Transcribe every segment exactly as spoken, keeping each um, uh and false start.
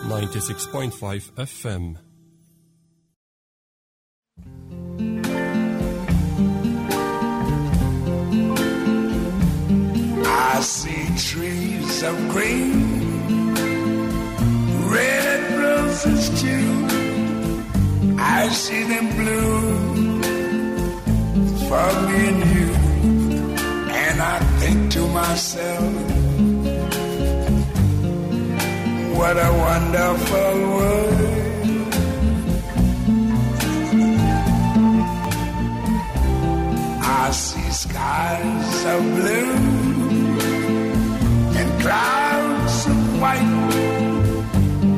ninety-six point five F M. I see trees of green, red roses too. I see them bloom for me and you. And I think to myself, what a wonderful world. I see skies of blue and clouds of white,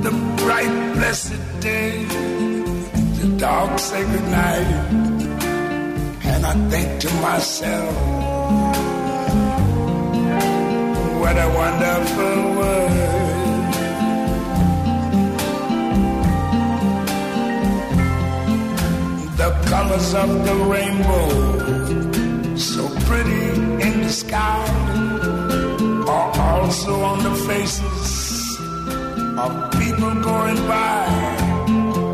the bright blessed day, the dark sacred night. And I think to myself, what a wonderful world. The colors of the rainbow, so pretty in the sky, are also on the faces of people going by.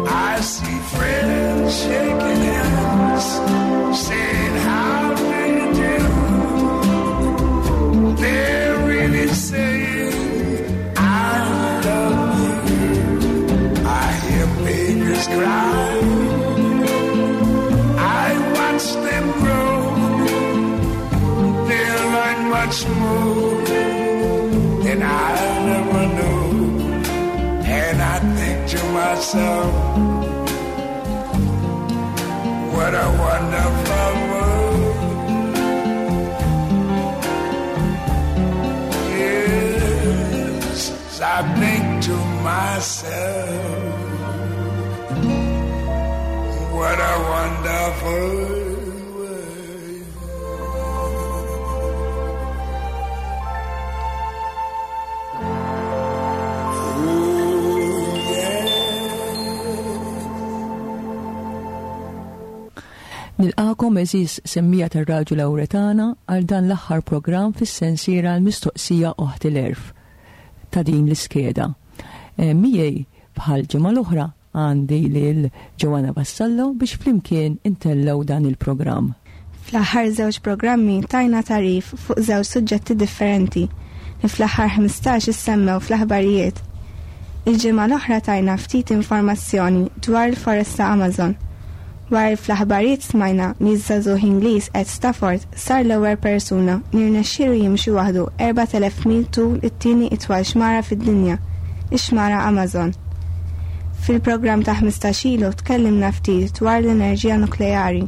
I see friends shaking hands, saying, how do you do? They're really saying, I love you. I hear babies cry. I watch them grow. They'll learn much more than I never knew. And I think to myself, what a wonderful world. Yes, I think to myself, what a wonderful world. Ooh, yeah. Nilqakom għeżież semmiegħa tar-Radju Lawretana għal dan l-aħħar programm fis-sensiera l-mistoqsija Oħti l-Għerf ta' din l-iskeda. E, miegħi bħal ġimgħa l-oħra għandi lil Joanna Vassallo biex flimkien intellgħu dan il-programm. Fl-aħħar żewġ programmi tajna tarif fuq żewġ suġġetti differenti li fl-aħħar ħmistax issemmew fl-aħbarijiet. Il-ġimgħa l-oħra tajna ftit informazzjoni dwar il-foresta Amazon. Wara fl-aħbarijiet smajna li ż-żagħżugħ Ingliż Ed Stafford sar l-ewwel persuna li rnexxielu jimxi waħdu erbat elef mil tul it-tieni itwal xmara fid-dinja, ix-xmara Amazon. Fil-programm ta' ħmistax ilu tkellimna ftit dwar l-enerġija nukleari,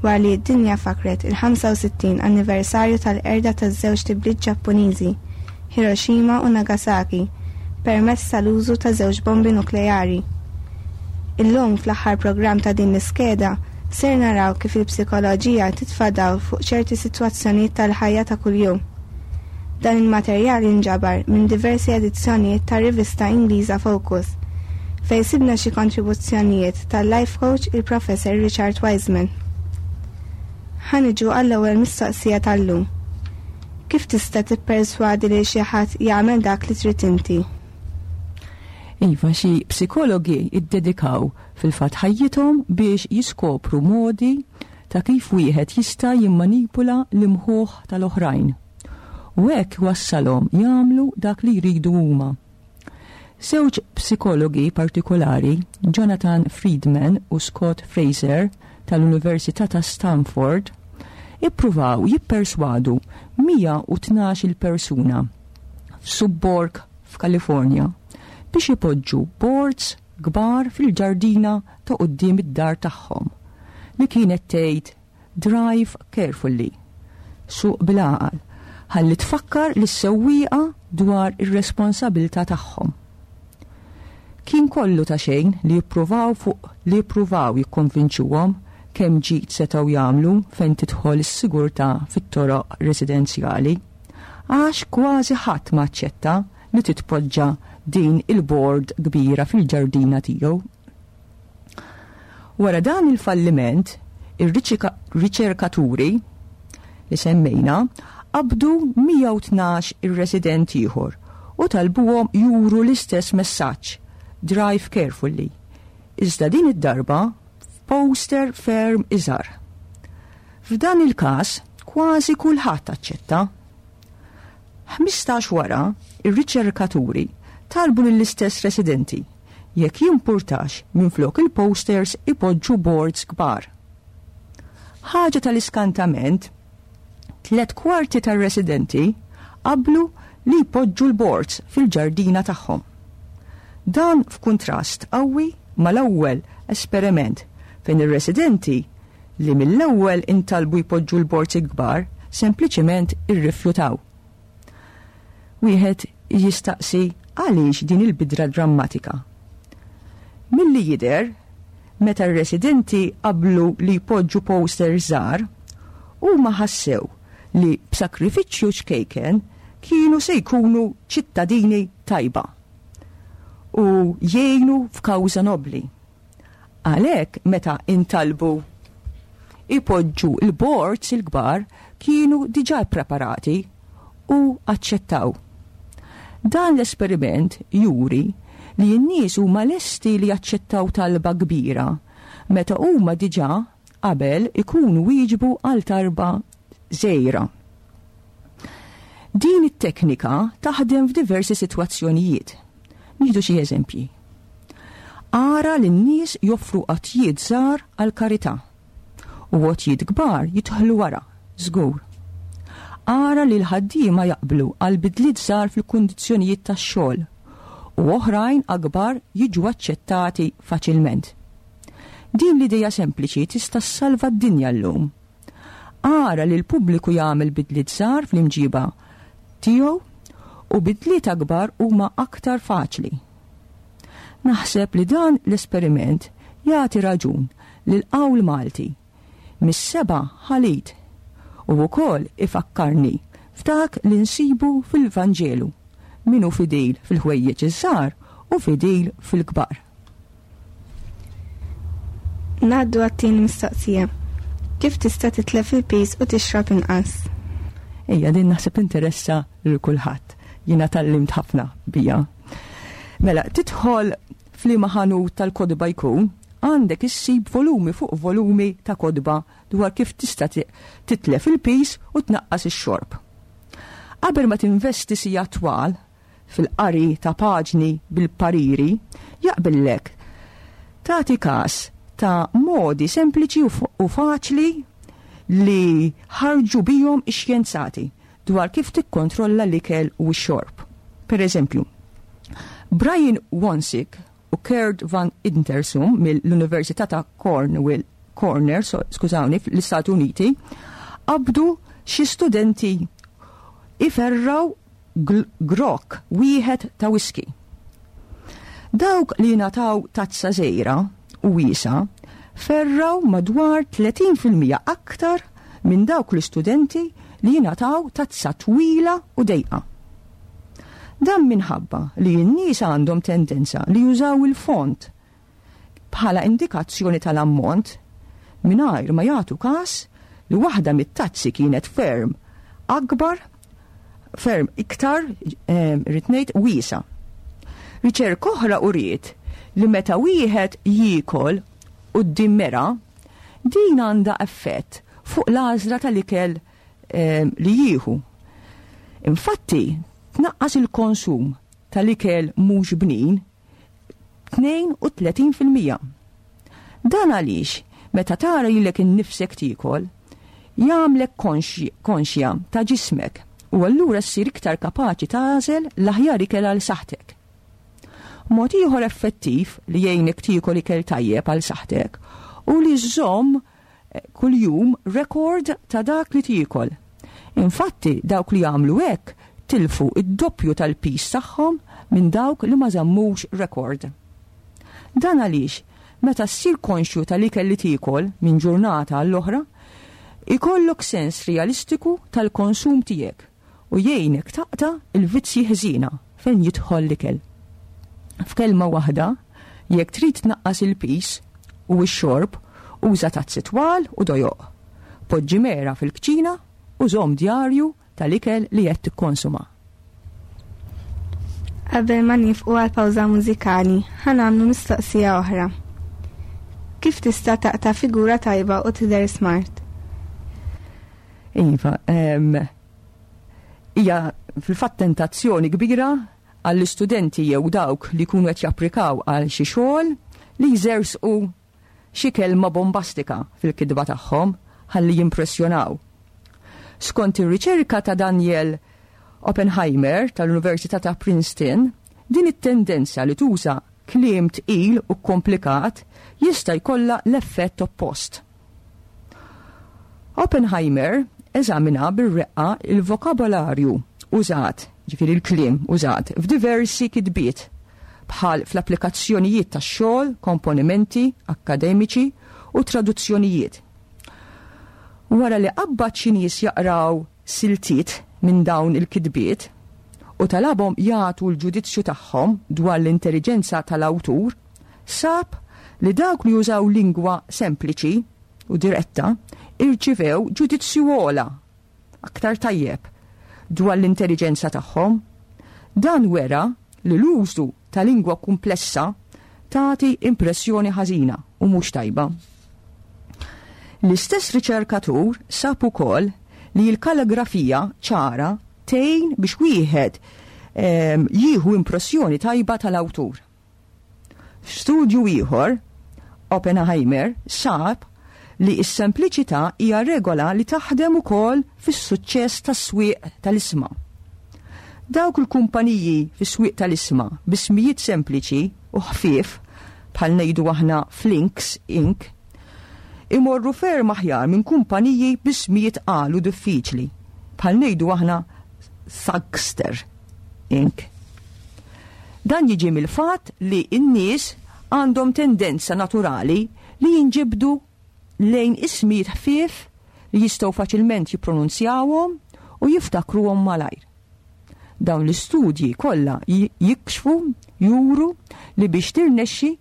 wara li d-dinja fakret il-ħamsa u sittin anniversarju tal-qerda taż-żewġ tibliet Ġappuniżi, Hiroshima u Nagasaki, permezz tal-użu ta' żewġ bombi nukleari. Illum fl-aħħar programm ta' din l-iskeda ser naraw kif il-psikoloġija titfa' dawl fuq ċerti sitwazzjonijiet tal-ħajja ta' kuljum. Dan il-materjal jinġabar minn diversi edizzjonijiet tar-rivista Ingliża Focus, fejn sibna xi kontribuzzjonijiet tal-life coach il-Professor Richard Wiseman. Ħa niġu għall-ewwel mistoqsija tal-lum. Kif tista' tipperswadi lil xi ħadd jagħmel dak li trid inti? Iva, xi psikologi iddedikaw fil-fatt ħajjithom biex jiskopru modi ta' kif wieħed jista' jimmanipula l-imħuħ tal-oħrajn. U hekk wassalhom jagħmlu dak li jridu huma. Żewġ psikologi partikolari, Jonathan Friedman u Scott Fraser tal-Università ta' Stanford, ippruvaw jipperswadu mija u tnax-il persuna f'subborg f'Kalifornja biex ipoġġu boards kbar fil-ġardina ta' quddiem id-dar tagħhom li kienet tgħid Drive carefully, suq bil-għaqal, ħalli tfakkar lis-sewwieqa dwar ir-responsabilità tagħhom. Kien kollu ta' xejn li jippruvaw fuq li jippruvaw jikkonvinċuhom kemm ġid setgħu jagħmlu fejn tidħol is-sigurtà fit-toroq residenzjali, għax kważi ħadd ma aċċetta li titpoġġa din il-board kbira fil-ġardina tiegħu. Wara dan il-falliment, ir-riċerkaturi li semmejna qabdu mija u tnax ir-resident ieħor u talbuhom juru l-istess messaġġ "Drive carefully". Iżda din id-darba f'poster ferm iżgħar. F'dan il-każ kważi kulħadd aċċetta. ħmistax wara, ir-riċerkaturi talbu lill-istess residenti jekk jimpurtax minflok il-posters ipoġġu boards kbar. Ħaġa tal-iskantament, tlet kwarti tar-residenti qablu li jpoġġu l-boards fil-ġardina tagħhom. Dan f'kuntrast qawwi mal-ewwel esperiment, fejn ir-residenti li mill-ewwel intalbu jpoġġu l-boards ikbar sempliċement irrifjutaw. Wieħed jistaqsi għaliex din il-bidra drammatika. Milli jidher, meta r-residenti qablu li jpoġġu poster żgħar, huma ħassew li b'sakrifiċċju ċkejken kienu se jkunu ċittadini tajba u jgħinu f'kawża nobli. Għalhekk, meta intalbu ipoġġu il-boards il-kbar, kienu diġà preparati u aċċettaw. Dan l-esperiment juri li n-nies huma lesti li jaċċettaw talba kbira meta huma diġà qabel ikunu wieġbu għal talba żgħira. Din it-teknika taħdem f'diversi sitwazzjonijiet. Nieħdu xi eżempji. Ara li n-nies joffru għotjiet żgħar għal karità u għotjiet kbar jidħlu wara, żgur. Ara li l-ħaddiema jaqblu għal bidliet żgħar fil-kundizzjonijiet tax-xogħol u oħrajn akbar jiġu aċċettati faċilment. Din l-ideja sempliċi tista' ssalva d-dinja llum. Ara li l-pubbliku jagħmel bidliet żgħar fl-imġiba tiegħu u bidliet akbar huma aktar faċli. Naħseb li dan l-esperiment jagħti raġun lil qawl Malti "mis-seba' ħalit" u wkoll ifakkarni f'dak li nsibu fil-Vanġelu: min hu fidil fil-ħwejjeġ iż-żgħar hu fidil fil-kbar. Ngħaddu għat-tieni mistoqsija. Kif tista' titlef il-piż u tixrob inqas? Ejja, din naħseb interessa lil kulħadd. Jiena tgħallimt ħafna bija. Mela, tidħol f'liema ħanut tal-kotba jkun, għandek issib volumi fuq volumi ta' kotba dwar kif tista' titlef il-piż u tnaqqas ix-xorb. Qabel ma tinvesti sigħat twal fil-qari ta' paġni bil-pariri, jaqbillek tagħti każ ta' modi sempliċi u faċli li ħarġu bihom ix-xjenzati dwar kif tikkontrolla l-ikel u x-xorb. Per eżempju, Brian Wansink u Kurt Van Ittersum mill-Università ta' Cornwall, Corner, so, skużawni, fl-Istati Uniti, qabdu xi studenti iferraw grok wieħed ta' whisky. Dawk li ngħataw tazza żgħira u wiesgħa ferraw madwar tletin fil-mija aktar minn dawk l-istudenti li jingħataw tazza twila u dejqa. Dan minħabba li n-nies għandhom tendenza li jużaw il-font bħala indikazzjoni tal-ammont mingħajr ma jagħtu każ li waħda mit-tazzi kienet ferm akbar, ferm iktar, irrid ngħid, wiesgħa. Riċerka oħra uriet li meta wieħed jiekol quddiem mera, din għandha effett fuq l-għażla tal-ikel li jieħu. Infatti, tnaqqas il-konsum tal-ikel mhux bnin tnejn u tletin fil-mija. Dan għaliex meta tara lilek innifsek tiekol, jagħmlek konxja ta' ġismek u allura ssir iktar kapaċi tagħżel l-aħjar ikel għal saħtek. Mod ieħor effettiv li jgħinek tiekol ikel tajjeb għal saħtek hu li żżomm eh, kuljum rekord ta' dak li tiekol. Infatti, dawk li jagħmlu hekk tilfu id-doppju tal-piż tagħhom minn dawk li ma żammux rekord. Dan għaliex meta ssir konxju tal-ikel li tiekol minn ġurnata għall-oħra, ikollok sens realistiku tal-konsum tiegħek u jgħinek taqta' il-vizzji ħżiena fejn jidħol l-ikel. F'kelma waħda, jekk trid tnaqqas il-piż u x-xorb, uża tazzi twal u dojoq. Poġġi mera fil-kċina u żomm djarju tal-ikel li qed tikkonsuma. Qabel ma nifqu għal pawża mużikali, ħa nagħmlu mistoqsija oħra. Kif tista' taqta' figura tajba u tidher smart? Iva, hija fil-fatt tentazzjoni kbira għall-istudenti jew dawk li jkunu qed japplikaw għal xi xogħol li jżersqu xi kelma bombastika fil-kitba tagħhom ħalli jimpressjonaw. Skont ir-riċerka ta' Daniel Oppenheimer tal-Università ta' Princeton, din it-tendenza li tuża kliem tqil u komplikat jista' jkollha l-effett oppost. Oppenheimer eżamina bir-reqqa il-vokabolarju użat, ġifieri l-kliem użat, f'diversi kitbiet bħal fl-applikazzjonijiet tax-xogħol, komponimenti akkademiċi u traduzzjonijiet. Wara li qabbad xi nies jaqraw siltiet minn dawn il-kitbiet u talabhom jagħtu l-ġudizzju tagħhom dwar l-intelligenza tal-awtur, sab li dawk li jużaw lingwa sempliċi u diretta irċivew ġudizzju ogħla, aktar tajjeb, dwar l-intelligenza tagħhom. Dan wera li l-użu ta' lingwa komplessa tagħti impressjoni ħażina u mhux tajba. L-istess riċerkatur sab ukoll li l-kalligrafija ċara tgħin biex wieħed ehm, jieħu impressjoni tajba tal-awtur. F'studju ieħor, Oppenheimer sab li s-sempliċità hija regola li taħdem ukoll fis-suċċess tas-swieq tal-isma. Dawk il-kumpaniji fis-swieq tal-isma b'ismijiet sempliċi u ħfief bħal ngħidu aħna Flinks Incorporated imorru ferm aħjar minn kumpaniji b'ismijiet qalu diffiċli bħal ngħidu aħna Thugster Incorporated. Dan jiġi mill-fatt li n-nies għandhom tendenza naturali li jinġibdu lejn ismijiet ħfief li jistgħu faċilment jippronunzjawhom u jiftakruhom malajr. Dawn l-istudji kollha jikxfu juru li biex tirnexxi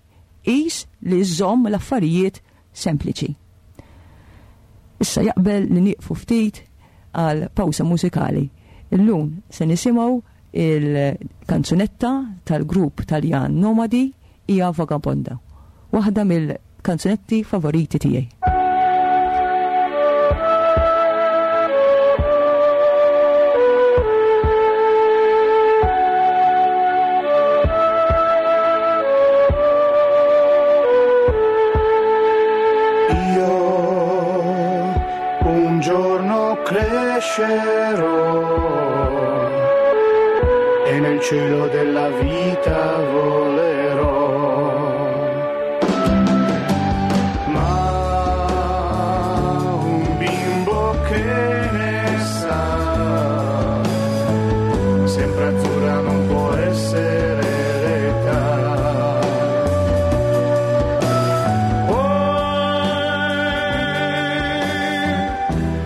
qis li żżomm l-affarijiet sempliċi. Issa jaqbel li nieqfu ftit għal pawsa mużikali. Illum se nisimgħu il-kanzunetta tal-grupp Taljan Nomadi hija Vagabonda, waħda mill-kanzunetti favoriti tiegħi. Io un giorno crescerò e nel cielo della vita volerò. Ma un bimbo che ne sa, sempre azzurra non può essere l'età. Poi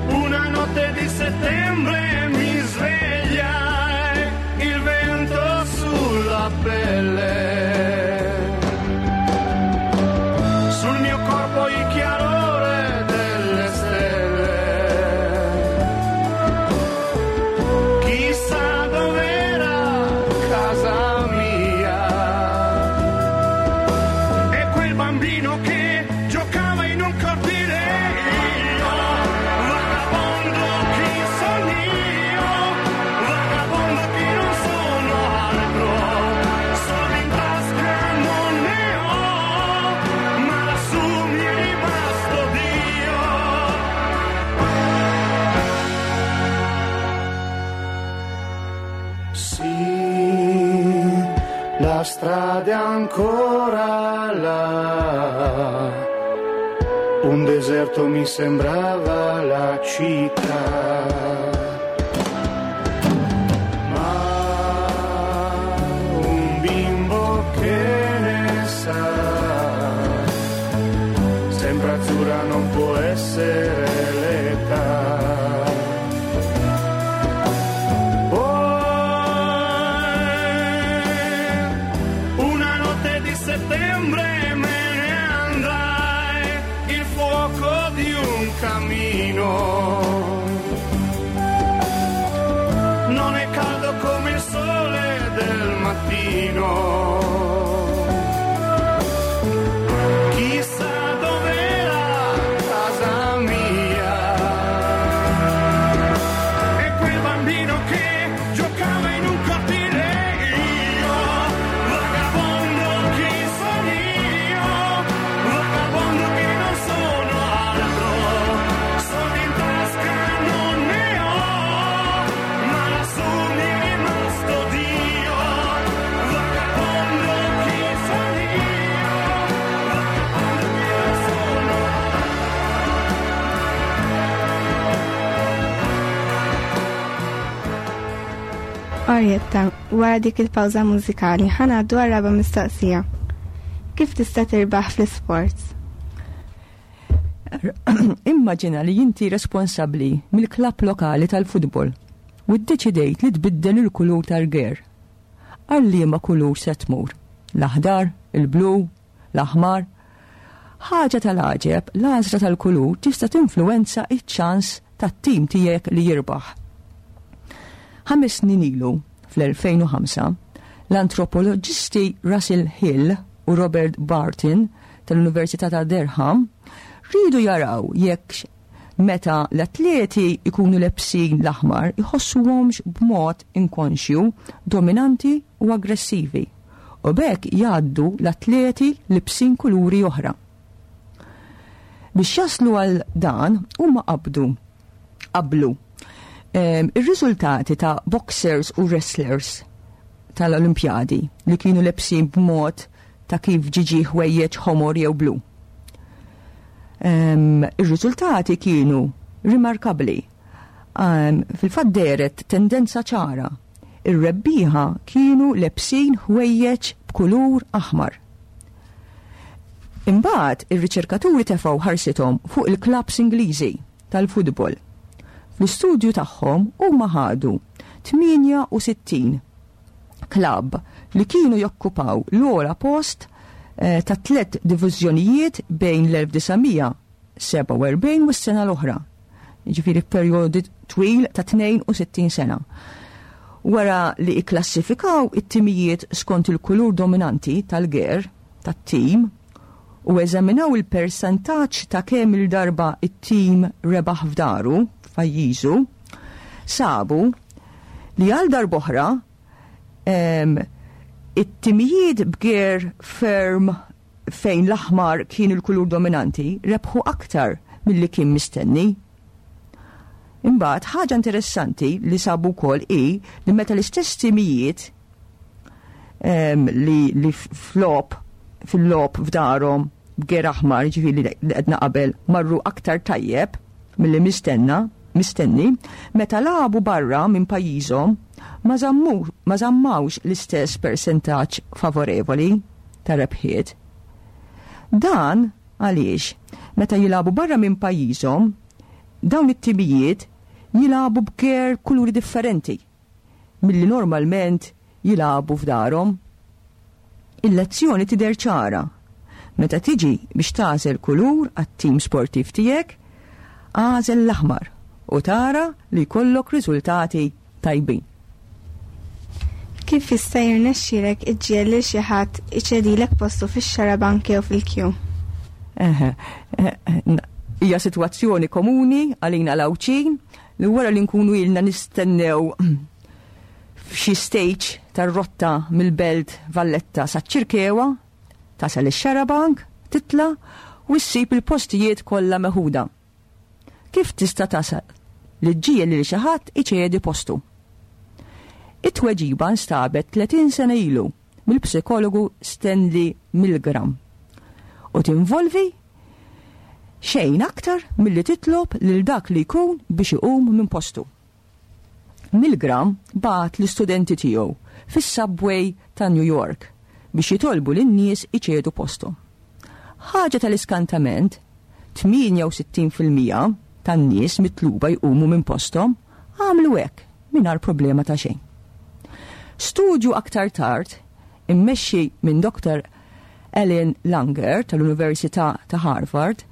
una notte di settembre mi svegliai, il vento sulla pelle, sul mio corpo il chiarore delle stelle. Chissà dov'era casa mia e quel bambino che giocava in un cortile. Io, vagabondo che sono io, vagabondo che non sono altro, soldi in tasca non ne ho, ma lassù mi è rimasto Dio. Sì, la strada è ancora là, un deserto mi sembrava la città. Ma un bimbo che ne sa, sempre azzurra non può essere l'età. Poi una notte di settembre me ne andai, il fuoco di un camino. Non è caldo come il sole del mattino. mattino. Chissà dov'era casa mia e quel bambino che giocava in un cortile. Io, vagabondo che sono io, vagabondo che non sono altro, soldi in tasca non ne ho, ma lassù mi è rimasto Dio, vagabondo che sono io, vagabondo che non sono. Orietta, wara dik il-pawża mużikali ħa ngħaddu għar-raba' mistoqsija. Kif tista' tirbaħ fl-isports? Immaġina li inti responsabbli mill-klabb lokali tal-futbol u ddeċidejt li tbiddel il-kulur tal-gear. Għal liema kulur se tmur? L-aħdar, il-blu, l-aħmar? Ħaġa tal-għaġeb, l-għażla tal-kulur tista' tinfluwenza iċ-ċans tat-tim tiegħek li jirbaħ. Ħames snin ilu, fl-elfejn u ħamsa, l-antropoloġisti Russell Hill u Robert Barton tal-Università ta' Durham rridu jaraw jekk meta l-atleti ikunu lebsin l-aħmar iħossuhomx b'mod inkonxju, dominanti u aggressivi, u b'hekk jgħaddu l-atleti libsin kuluri oħra. Biex jaslu għal dan huma qabdu qablu em, ir-riżultati ta' boxers u wrestlers tal-Olimpjadi li kienu lebsin b'mod ta' kif ġiġi ħwejjeġ ħomor jew blu. Em, Ir-riżultati kienu rimarkabbli. Em, Fil-fatt dehret tendenza ċara. Ir-rebbieħa kienu lebsin ħwejjeġ b'kulur aħmar. Imbagħad ir-riċerkaturi tefgħu ħarsithom fuq il-klabbs Ingliżi tal-futbol. Fl-istudju tagħhom huma ħadu tmienja u sittin klabb li kienu jokkupaw l-ogħla post, eh, ta' tliet diviżjonijiet bejn l-elf disa' mija sebgħa u erbgħin u s-sena l-oħra. Jiġifieri f'perjodu twil ta' tnejn u sittin sena. Wara li ikklassifikaw it-timijiet skont il-kulur dominanti tal-ger tat-tim u eżaminaw il-persentaġġ ta' kemm il-darba it-tim rebaħ f'daru f'pajjiżu, sabu li għal darb'oħra, em, it-timijiet b'ger ferm fejn l-aħmar kien il-kulur dominanti rebħu aktar milli kien mistenni. Imbagħad ħaġa interessanti li sabu wkoll hi li meta l-istess timijiet, em, li, li flop fil-lop f'darhom b'ger aħmar, ġifieri li qedna qabel, marru aktar tajjeb milli mistenna, mistenni, meta lagħbu barra minn pajjiżhom ma żammu, ma żammawx l-istess persentaġġ favorevoli ta' rebħiet. Dan għaliex meta jilagħbu barra minn pajjiżhom, dawn it-timijiet jilagħbu b'ger kuluri differenti milli normalment jilagħbu f'darhom. Il-lezzjoni tidher ċara. Meta tiġi biex tagħżel kulur għat-tim sportiv tiegħek, għażel l-aħmar u tara li jkollok riżultati tajbin. Kif jista' jirnexxielek iġġiegħel lil xi ħadd iċedilek postu fix-xarabank jew fil-kju? Eħe, eh, hija sitwazzjoni komuni għalina l-Għawdxin li wara li nkunu ilna nistennew f'xi stage tar-rotta mill-Belt Valletta saċ-Ċirkewwa, tasal ix-xarabank, titla' u ssib il-postijiet kollha meħuda. Kif tista' tasal li ġġiegħel lil xi ħadd iċedi postu? It-tweġiba nstabet tletin sena ilu mill-psikologu Stanley Milgram u tinvolvi xejn aktar milli titlob lil dak li jkun biex iqum minn postu. Milgram bagħat l-istudenti tiegħu fis-subway ta' New York biex jitolbu lin-nies iċedu postu. Ħaġa tal-iskantament, tmienja u sittin fil-mija tan-nies mitluba jqumu minn posthom għamlu hekk mingħajr problema ta' xejn. Studju aktar tard immexxi minn Doktor Ellen Langer tal-Università ta' Harvard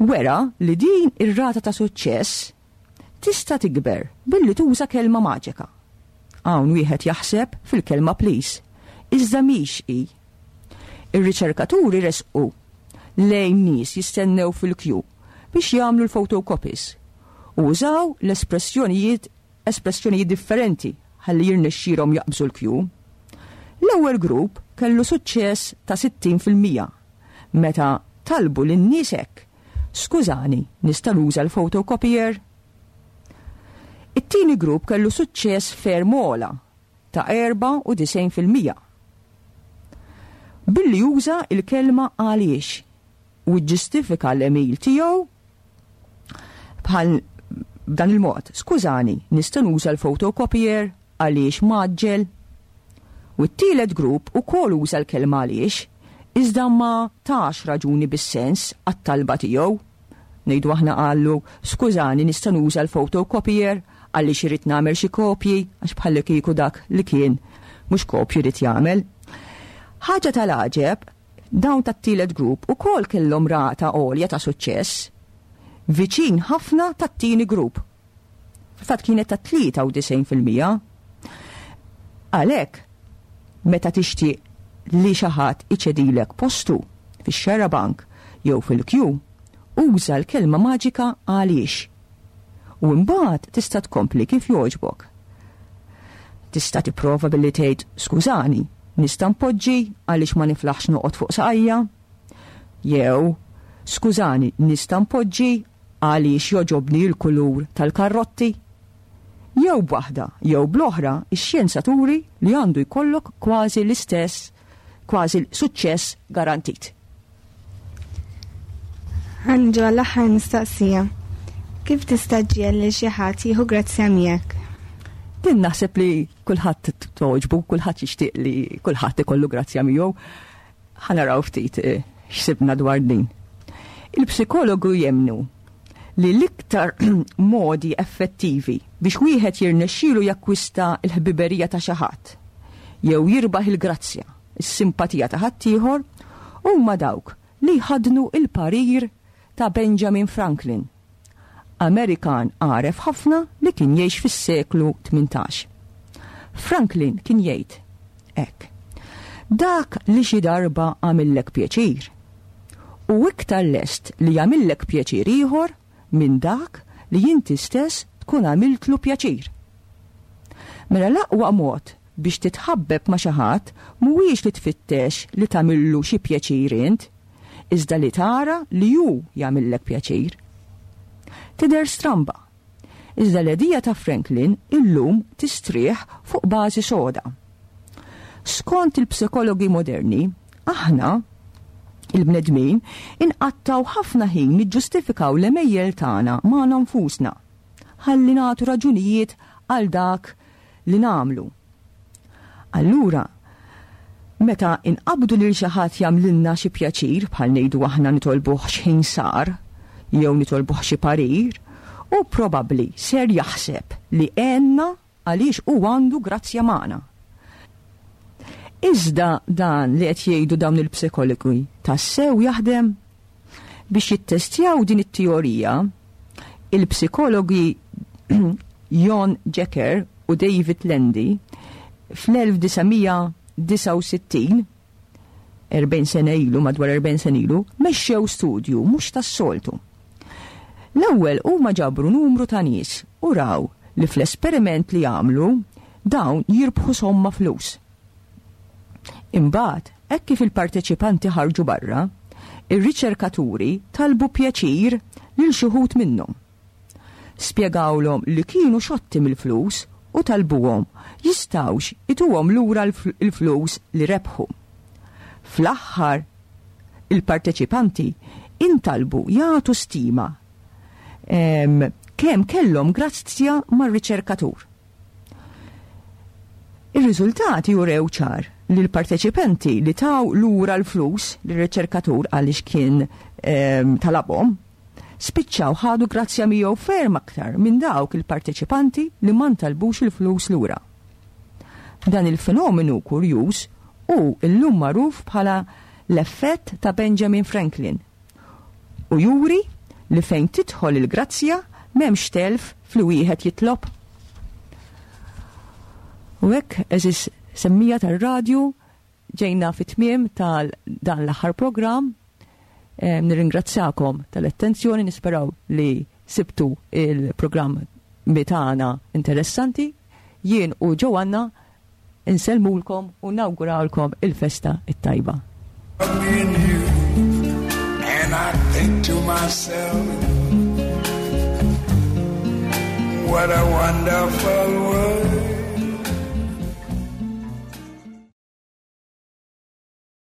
wera li din ir-rata ta' suċċess tista' tikber billi tuża kelma maġika. Hawn wieħed jaħseb fil-kelma please. Iżda mhix hi. Ir-riċerkaturi resqu lejn nies jistennew fil-kju biex jagħmlu l-photocopies u użaw l-espressjonijiet espressjonijiet differenti ħalli jirnexxilhom jaqbżu l-kju. L-ewwel grupp kellu suċċess ta' sittin fil-mija meta talbu lin-nies hekk: "Skużani, nista' nuża l-photocopier?" It-tieni grupp kellu suċċess ferm ogħla ta' erbgħa u disgħin fil-mija billi juża il-kelma "għaliex" u ġustifika l-għemil tiegħu bħal dan il-mod: "Skużani, nista' nuża l-photocopier għaliex mgħaġġel?" U t-tielet grupp ukoll uża l-kelma "għaliex", iżda ma tax raġuni bis-sens għat-talba tiegħu. Ngħidu aħna qallu: "Skużani, nista' nuża l-photocopier għaliex irrid nagħmel xi kopji", għax bħalli kieku dak li kien mhux kopji jrid jagħmel. Ħaġa tal-għaġeb, dawn tat-tielet grupp ukoll kellhom rata għolja ta' suċċess, viċin ħafna tat-tieni grupp. Fil-fatt kienet ta' tlieta u disgħin fil-mija. Għalhekk, meta tixtieq li xi ħadd iċedilek postu fix-xarabank jew fil-kju, uża l-kelma maġika "għaliex". U mbagħad tista' tkompli kif jogħġbok. Tista' tipprova billi tgħid: "Skużani, nista' npoġġi għaliex ma niflaħx noqgħod fuq saqajja?" Jew: "Skużani, nista' npoġġi għaliex jogħġobni l-kulur tal-karrotti?" Jew b'waħda, jew bl-oħra, ix-xjenza turi li għandu jkollok kważi l-istess, kważi suċċess garantit. Ħa niġu għall-aħħar mistoqsija. Kif tista' ġġiegħel lil xi ħadd jieħu grazzja miegħek? Din naħseb li kulħadd togħġbu, kulħadd jixtieq li kulħadd ikollu grazzja miegħu. Ħa naraw ftit eh, x'sibna dwar din. Il-psikologu jemmnu li l-iktar modi effettivi biex wieħed jirnexxielu jakkwista l-ħbiberija ta' xi ħadd jew jirbaħ il-grazzja, is-simpatija ta' ħaddieħor huma dawk li jħaddnu il-parir ta' Benjamin Franklin, Amerikan għaref ħafna li kien jgħix fis-seklu tmintax. Franklin kien jgħid hekk: "Dak li xi darba għamillek pjaċir, hu iktar lest li jagħmillek pjaċir ieħor minn dak li inti stess tkun għamiltlu pjaċir." Mela l-aqwa mod biex titħabbeb ma' xi ħadd mhuwiex li tfittex li tagħmillu xi pjaċir int, iżda li tara li hu jagħmillek pjaċir. Tidher stramba. Iżda l-idea ta' Franklin illum tistrieħ fuq bażi soda. Skont il-psikologi moderni, aħna il-bnedmin inqattgħu ħafna ħin niġġustifikaw l-għemejjel tagħna magħna nfusna ħalli nagħtu raġunijiet għal dak li nagħmlu. Allura, meta inqabdu lil xi ħadd jagħmlilna xi pjaċir, bħal ngħidu aħna nitolbuh x'ħin sar jew nitolbuh xi parir, hu probabbli ser jaħseb li għenna għaliex hu għandu grazzja magħna. Iżda dan li qed jgħidu dawn il-psikologi tassew jaħdem? Biex jittestjaw din it-teorija, il-psikologi Jon Jecker u David Landy fl-elf disa' mija disgħa u sittin, erbgħin sena ilu, madwar erbgħin sena ilu, mexxew studju mhux tas-soltu. L-ewwel huma ġabru numru ta' nies u raw li fl-esperiment li għamlu dawn jirbħu somma flus. Imbagħad, hekk kif il-parteċipanti ħarġu barra, ir-riċerkaturi talbu pjaċir lil xi wħud minnhom. Spjegawlhom li kienu xotti mill-flus u talbuhom jistgħux ituhom lura l-flus li rebħu. Fl-aħħar, il-parteċipanti intalbu jagħtu stima kemm kellhom grazzja mar-riċerkatur. Ir-riżultati jurew ċar li l-parteċipanti li taw lura l-flus lir-riċerkatur għaliex kien talabhom, spiċċaw ħadu grazzja miegħu ferm aktar minn dawk il-parteċipanti li ma ntalbux il-flus lura. Dan il-fenomenu kurjuż hu illum magħruf bħala l-effett ta' Benjamin Franklin u juri li fejn tidħol il-grazzja m'hemmx telf fli wieħed jitlob. U hekk, għeżież semmiegħa tar-radju, Ġejna fit-tmiem tal dan l-aħħar programm. Eh, nirringrazzjakom tal-attenzjoni, nisperaw li sibtu il-programm tagħna interessanti. Jien u Joanna insellmulkom u nawgurawlkom il-festa it-tajba. Me and you, and I think to myself, what a wonderful world.